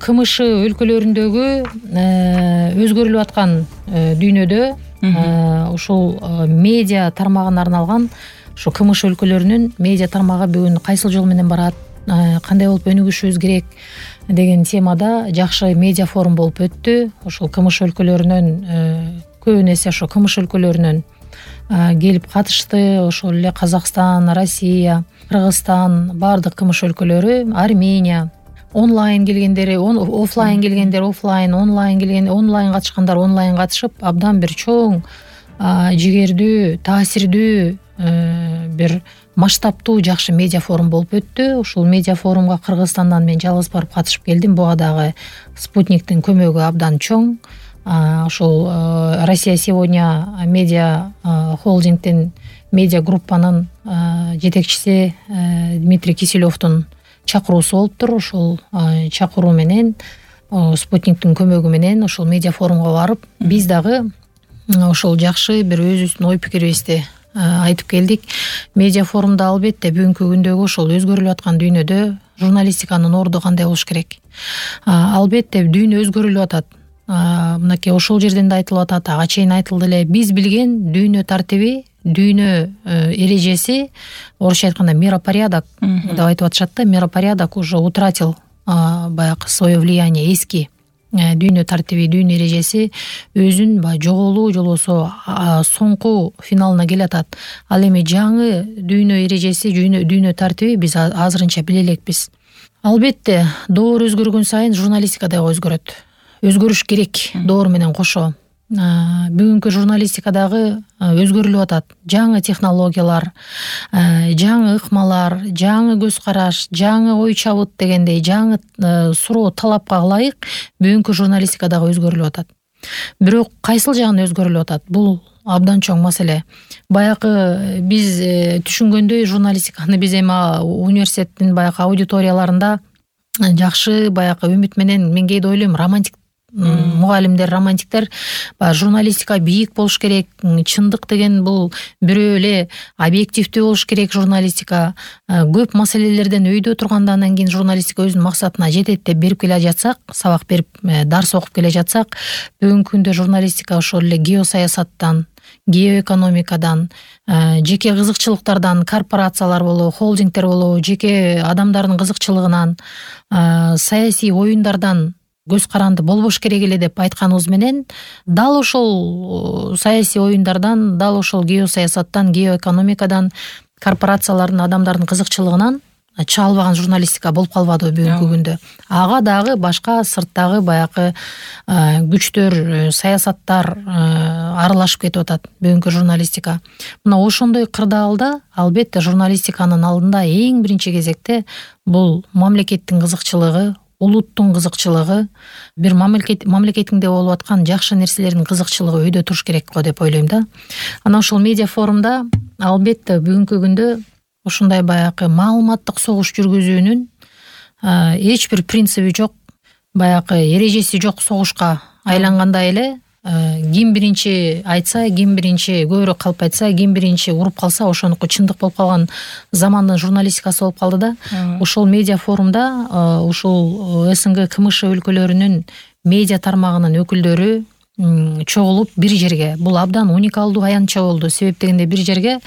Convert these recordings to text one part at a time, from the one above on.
КМШ өлкөлөрүндөгү өзгөрүлүп аткан дүйнөдө ушул медиа тармагына арналган ушу КМШ өлкөлөрүнүн медиа тармагы бүгүн кайсыл жол менен барат, кандай болуп өнүгүшүбүз керек деген темада жакшы медиа форум болуп өттү. Ошол КМШ өлкөлөрүнөн көбүн эсе ошо КМШ өлкөлөрүнөн келип катышты. Ошол эле Казакстан, Россия, Кыргызстан, баардык КМШ өлкөлөрү, Армения, онлайн келгендери офлайн келгендер офлайн, онлайн келген онлайн катышкандар онлайн катышып, абдан бир чоң, жигердүү, таасирдүү, бир масштабтуу жакшы медиа форум болуп өттү. Ушул медиа форумга Кыргызстандан мен жалгыз барып катышып келдим. Буга дагы Спутниктин көмөгү абдан чоң. Ошол Россия сегодня медиа холдингдин медиа группанын жетекчиси Дмитрий Киселевдун чакыруусу болуптур. Ошол чакыруу менен Спутниктин көмөгү менен ошол медиа форумга барып, биз дагы ошол жакшы бир өзүбүздүн ой пикирибизди айтып келдик. Медиа форумда албетте бүгүнкү күндөгү ошол өзгөрүлүп аткан дүйнөдө журналистиканын орду кандай болуш керек? Албетте дүйнө өзгөрүлүп атат. Мынакей ошол жерден да айтылып атат, ага чейин айтылды эле. Биз билген дүйнө тартиби, дүйнө эрежеси, орусча айтканда миропорядок деп айтып атышат да. Миропорядок уже утратил баягы свое влияние. Эски дүйнө тартиби, дүйнө эрежеси өзүн баягы жоголуу же болбосо соңку финалына келатат. Ал эми жаңы дүйнө эрежеси, дүйнө тартиби биз азырынча биле элекпиз. Албетте доор өзгөргөн сайын журналистика дагы өзгөрөт. Өзгөрүш керек доор менен кошо. Бүгүнкү журналистика дагы өзгөрүлүп атат. Жаңы технологиялар, жаңы ыкмалар, жаңы көз караш, жаңы ой чабыт дегендей жаңы суроо талапка ылайык бүгүнкү журналистика дагы өзгөрүлүп атат. Бирок кайсыл жагын өзгөрүлүп атат? Бул абдан чоң маселе. Баягы биз түшүнгөндөй журналистиканы биз эми университеттин баягы аудиторияларында жакшы баягы үмүт менен, мен кээде ойлойм, романтик мугалимдер, романтиктер журналистика бийик болуш керек, чындык деген бул бирөө эле, объективдүү болуш керек журналистика, көп маселелерден өйдө турганда анан кийин журналистика өзүнүн максатына жетет деп берип келе жатсак, сабак берип, дарс окуп келе жатсак, бүгүнкү күндө журналистика ошол эле геосаясаттан, геоэкономикадан, жеке кызыкчылыктардан, корпорациялар болобу, холдингдер болобу, жеке адамдардын кызыкчылыгынан, саясий оюндардан көз каранды болбош керек эле деп айтканыбыз менен, дал ошол саясий оюндардан, дал ошол геосаясаттан, геоэкономикадан, корпорациялардын, адамдардын кызыкчылыгынан чыга албаган журналистика болуп калбадыбы бүгүнкү күндө. Ага дагы башка сырттагы баягы күчтөр, саясаттар аралашып кетип атат бүгүнкү журналистика. Мына ошондой кырдаалда албетте журналистиканын алдында эң биринчи кезекте бул мамлекеттин кызыкчылыгы, улуттун кызыкчылыгы, бир мамлекетиңде болуп аткан жакшы нерселердин кызыкчылыгы өйдө туруш керек го деп ойлойм да. Анан ошол медиа форумда албетте бүгүнкү күндө ушундай баягы маалыматтык согуш жүргүзүүнүн эч бир принциби жок, баягы эрежеси жок согушка айлангандай эле, ким биринчи айтса, ким биринчи көбүрөөк калп айтса, ким биринчи уруп калса ошонуку чындык болуп калган замандын журналистикасы болуп калды да. Ошол медиа форумда ушул СНГ КМШ өлкөлөрүнүн медиа тармагынын өкүлдөрү чогулуп бир жерге, бул абдан уникалдуу аянтча болду. Себеп дегенде бир жерге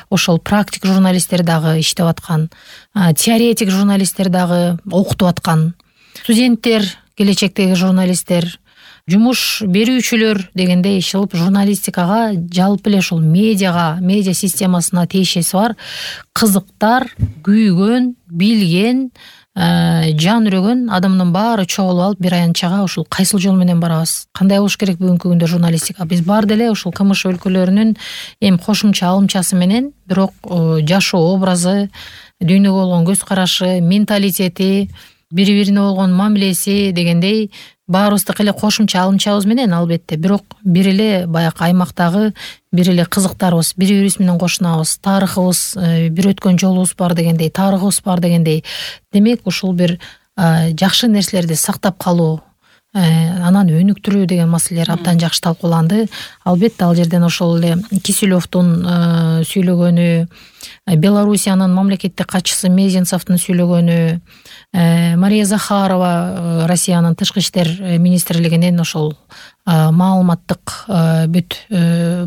ошол практик журналисттер дагы иштеп аткан, теоретик журналисттер дагы окутуп аткан, студенттер, келечектеги журналисттер, жумуш берүүчүлөр дегендей ишилип журналистикага, жалпы эле ушул медиага, медиа системасына тиешеси бар кызыктар, күйгөн, билген, жан үрөгөн адамдын баары чогулуп алып бир аянтчага ушул кайсыл жол менен барабыз, кандай болуш керек бүгүнкү күндө журналистика. Биз баары деле ушул КМШ өлкөлөрүнүн эми кошумча алымчасы менен, бирок жашоо образы, дүйнөгө болгон көз карашы, менталитети, бири-бирине болгон мамилеси дегендей баарыбыздыкы эле кошумча алымчабыз менен албетте, бирок бир эле баягы аймактагы бир эле кызыктарыбыз, бири-бирибиз менен кошунабыз, тарыхыбыз, бир өткөн жолубуз бар дегендей, тарыхыбыз бар дегендей. Демек ушул бир жакшы нерселерди сактап калуу, анан өнүктүрүү деген маселелер абдан жакшы талкууланды. Албетте ал жерден ошол эле Киселевдун сүйлөгөнү, Белоруссиянын мамлекеттик катчысы Мезенцевдин сүйлөгөнү, Мария Захарова Россиянын тышкы иштер министрлигинин ошол маалыматтык бүт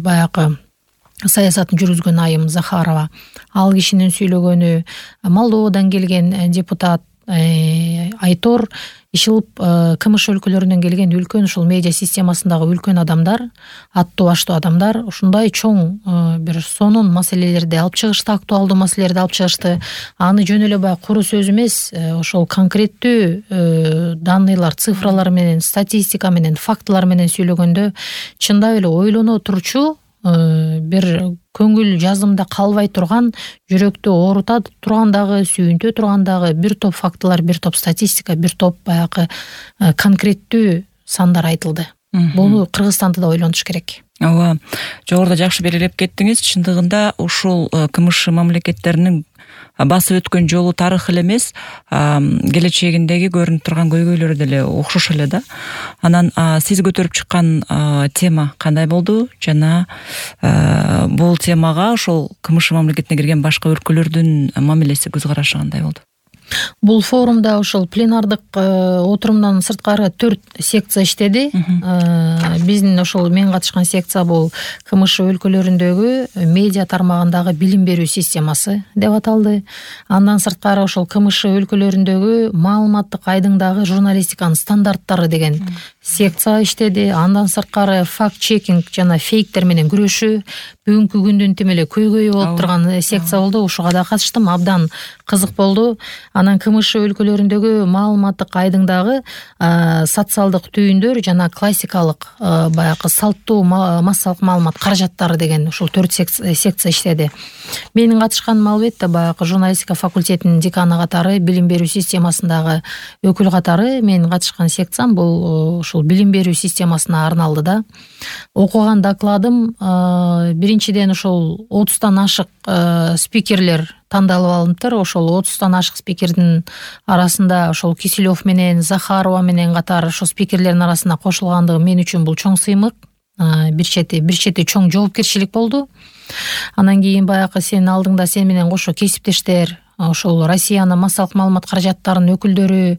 баягы саясатын жүргүзгөн айым Захарова, ал кишинин сүйлөгөнү, Молдовадан келген депутат Айтор Ишилов КМШ өлкөлөрүнөн келген үлкөн ушул медиа системасындагы үлкөн адамдар, аттуу баштуу адамдар ушундай чоң бир сонун маселелерди алып чыгышты, актуалдуу маселелерди алып чыгышты. Аны жөн эле баягы куру сөз эмес, ошол конкреттүү данныйлар, цифралар менен, статистика менен, фактылар менен сүйлөгөндө чындап эле ойлоно турчу, бир көңүл жазымда калбай турган, жүрөктү оорута тургандагы, сүйүнтө тургандагы бир топ фактылар, бир топ статистика, бир топ баягы конкреттүү сандар айтылды. Буну Кыргызстанды да ойлонуш керек. Ооба, жогоруда жакшы белгилеп кеттиңиз. Чындыгында ушул КМШ мамлекеттеринин басып өткөн жолу тарых эле эмес, келечегиндеги көрүнүп турган көйгөйлөрү деле окшош эле да. Анан сиз көтөрүп чыккан тема кандай болду жана бул темага ошол КМШ мамлекетине кирген башка өлкөлөрдүн мамилеси, көз карашы кандай болду? Бул форумда ошол пленардык отурумдан сырткары 4 секция иштеди. Биздин ошол мен катышкан секция бул КМШ өлкөлөрүндөгү медиа тармагындагы билим берүү системасы деп аталды. Андан сырткары ошол КМШ өлкөлөрүндөгү маалыматтык айдыңдагы журналистиканын стандарттары деген секция иштеди. Андан сырткары факт-чекинг жана фейктер менен күрөшүү бүгүнкү күндүн тим эле көйгөйү болуп турган секция болду. Ушуга да катыштым, абдан кызык болду. Анан КМШ өлкөлөрүндөгү маалыматтык айдыңдагы социалдык түйүндөр жана классикалык баягы салттуу массалык маалымат каражаттары деген ушул 4 секция иштеди. Менин катышканым албетте баягы журналистика факультетинин деканы катары, билим берүү системасындагы өкүл катары менин катышкан секциям бул ушул билим берүү системасына арналды да. Окуган докладым биринчиден ошол 30тан ашык спикерлер тандалып алыныптыр. Ошол 30тан ашык спикердин арасында ошол Киселев менен Захарова менен катар ошол спикерлердин арасына кошулгандыгы мен үчүн бул чоң сыймык, бир чети чоң жоопкерчилик болду. Анан кийин баягы сенин алдыңда сен менен кошо кесиптештер, ошол Россиянын массалык маалымат каражаттарынын өкүлдөрү,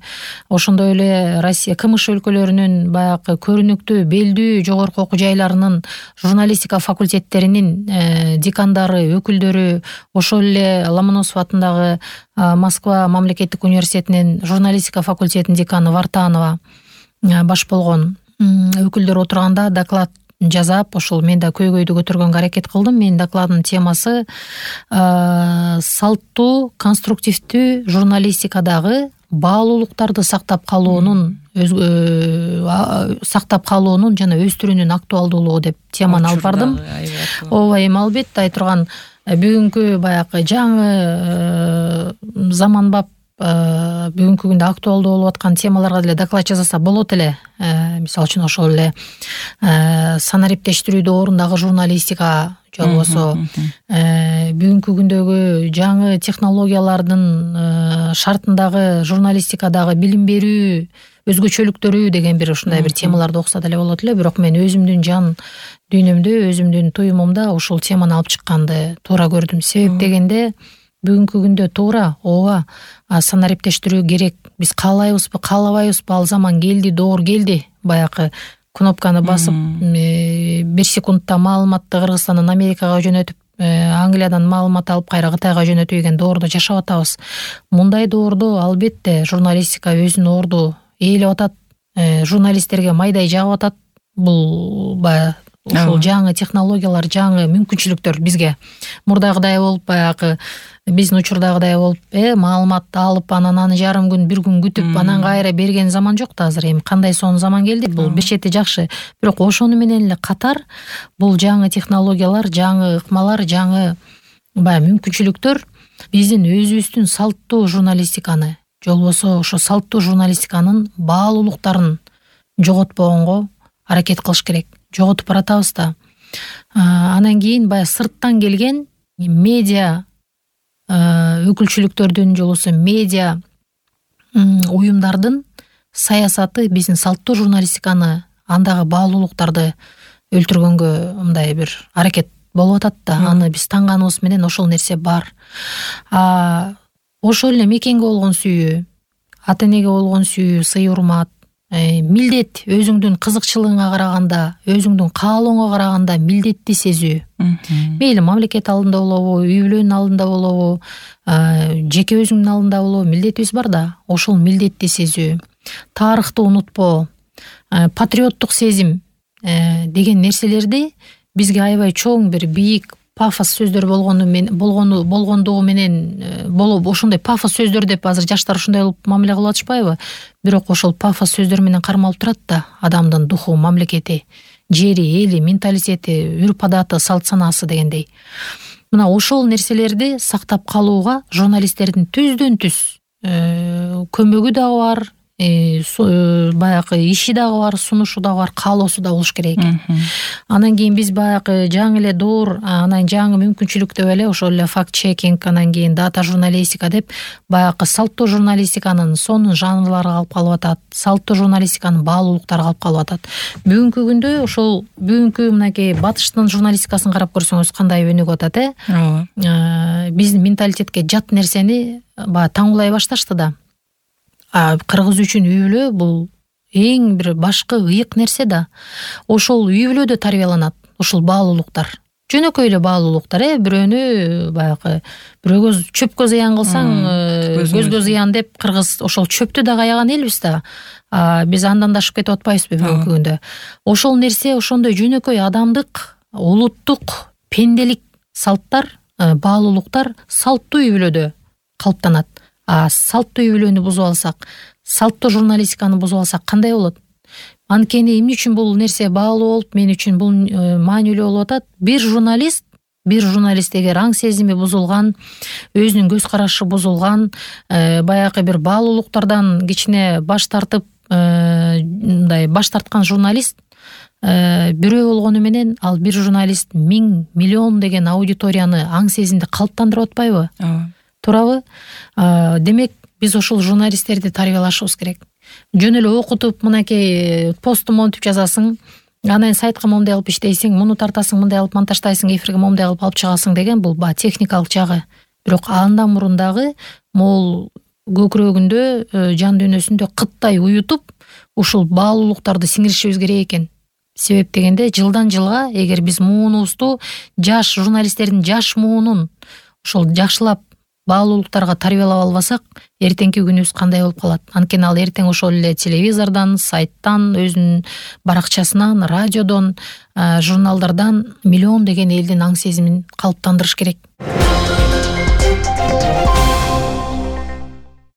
ошондой эле Россия КМШ өлкөлөрүнүн баягы көрүнүктүү, белдүү жогорку окуу жайларынын журналистика факультеттеринин декандары, өкүлдөрү, ошол эле Ломоносов атындагы Москва мамлекеттик университетинин журналистика факультетинин деканы Вартанова баш болгон өкүлдөр отурганда доклад жазап, ошол мен да көйгөйдү көтөргөнгө аракет кылдым. Менин докладымдын темасы салттуу, конструктивдүү журналистикадагы баалуулуктарды сактап калуунун жана өстүрүүнүн актуалдуулугу деп теманы алып бардым. Ооба, эми албетте айтырган бүгүнкү баягы жаңы заманбап бүгүнкү күндө актуалдуу болуп аткан темаларга деле доклад жасаса болот эле. Мисалы үчүн ошол эле санариптештирүүдө орундагы журналистика, же болбосо бүгүнкү күндөгү жаңы технологиялардын шартындагы журналистикадагы билим берүү өзгөчөлүктөрү деген бир ушундай бир темаларды окуса деле болот эле. Бирок мен өзүмдүн жан дүйнөмдө, өзүмдүн туюмумда ушул теманы алып чыкканды туура көрдүм. Себеп дегенде бүгүнкү күндө туура ооба санариптештирүү керек. Биз каалайбызбы, каалабайбызбы, ал заман келди, доор келди. Баягы кнопканы басып 1 секундта маалыматты Кыргызстандан Америкага жөнөтүп, Англиядан маалымат алып кайра Кытайга жөнөтүү деген доордо жашап атабыз. Мындай доордо албетте журналистика өзүнүн орду ээлеп атат, журналисттерге майдай жагып атат. Бул баягы ушул жаңы технологиялар, жаңы мүмкүнчүлүктөр бизге мурдагыдай болуп, баягы биздин учурдагыдай болуп, маалыматты алып, анан аны жарым күн, бир күн күтүп, анан кайра берген заман жок да азыр. Эми кандай сонун заман келди. Бул бир чети жакшы. Бирок ошону менен эле катар бул жаңы технологиялар, жаңы ыкмалар, жаңы баягы мүмкүнчүлүктөр биздин өзүбүздүн салттуу журналистиканы, же болбосо ошо салттуу журналистиканын баалуулуктарын жоготпогонго аракет кылыш керек. Жоготуп баратабыз да. Анан кийин баягы сырттан келген медиа өкүлчүлүктөрдүн, же болбосо медиа уюмдардын саясаты биздин салттуу журналистиканы, андагы баалуулуктарды өлтүргөнгө мындай бир аракет болуп атат да. Аны биз таңганыбыз менен ошол нерсе бар. Ошол эле мекенге болгон сүйүү, ата энеге болгон сүйүү, сый урмат, милдет, өзүңдүн кызыкчылыгыңа караганда, өзүңдүн каалооңо караганда милдетти сезүү. Мейли мамлекет алдында болобу, үй бүлөнүн алдында болобу, жеке өзүңдүн алдында болобу, милдетибиз бар да. Ошол милдетти сезүү, тарыхты унутпоо, патриоттук сезим деген нерселерди бизге аябай чоң бир бийик пафос сөздөр болгондугу менен болуп, ошондой пафос сөздөр деп азыр жаштар ушундай кылып мамиле кылып атышпайбы? Бирок ошол пафос сөздөр менен кармалып турат да адамдын духу, мамлекети, жери, эли, менталитети, үрп адаты, салт санаасы дегендей. Мына ошол нерселерди сактап калууга журналисттердин түздөн түз көмөгү дагы бар, баягы иши дагы бар, сунушу дагы бар, каалоосу да болуш керек экен. Анан кийин биз баягы жаңы эле доор, анан жаңы мүмкүнчүлүк деп эле ошол эле факт чекинг, анан кийин дата журналистика деп баягы салттуу журналистиканын сонун жанрлары калып калып атат, салттуу журналистиканын баалуулуктары калып калып атат. Бүгүнкү күндө ошол бүгүнкү мынакей батыштын журналистикасын карап көрсөңүз кандай өнүгүп атат, биздин менталитетке жат нерсени баягы таңуулай башташты да. Кыргыз үчүн үй бүлө бул эң бир башкы ыйык нерсе да. Ошол үй бүлөдө тарбияланат ушул баалуулуктар. Жөнөкөй эле баалуулуктар, бирөөнү баягы бирөөгө чөпкө зыян кылсаң, көзгө зыян деп кыргыз ошол чөптү дагы аяган элбиз да. Биз андан да ашып кетип атпайбызбы бүгүнкү күндө? Ошол нерсе ошондой жөнөкөй адамдык, улуттук, пенделик салттар, баалуулуктар салттуу үй бүлөдө калыптанат. Салттуу үй бүлөнү бузуп алсак, салттуу журналистиканы бузуп алсак кандай болот? Анткени эмне үчүн бул нерсе баалуу болуп, мен үчүн бул маанилүү болуп атат? Бир журналист эгер аң сезими бузулган, өзүнүн көз карашы бузулган, баягы бир баалуулуктардан кичине баш тартып, мындай баш тарткан журналист бирөө болгону менен, ал бир журналист 1000 миллион деген аудиторияны аң сезимди калыптандырып атпайбы? Туурабы? Демек, биз ошол журналисттерди тарбиялашыбыз керек. Жөн эле окутуп, мынакей посту монтип жазасың, анан сайтка момундай кылып иштейсиң, муну тартасың, мындай кылып монтаждайсың, эфирге момундай кылып алып чыгасың деген бул техникалык жагы. Бирок андан мурун дагы могул көкүрөгүндө, жан дүйнөсүндө кыттай уютуп, ушул баалуулуктарды сиңиришибиз керек экен. Себеп дегенде, жылдан жылга эгер биз муунубузду жаш журналисттердин жаш муунун ошол жакшылап баалуулуктарга тарбиялап албасак, эртеңки күнүбүз кандай болуп калат? Анткени ал эртең ошол эле телевизордон, сайттан, өзүнүн баракчасынан, радиодон, журналдардан миллион деген элдин аң сезимин калыптандырыш керек.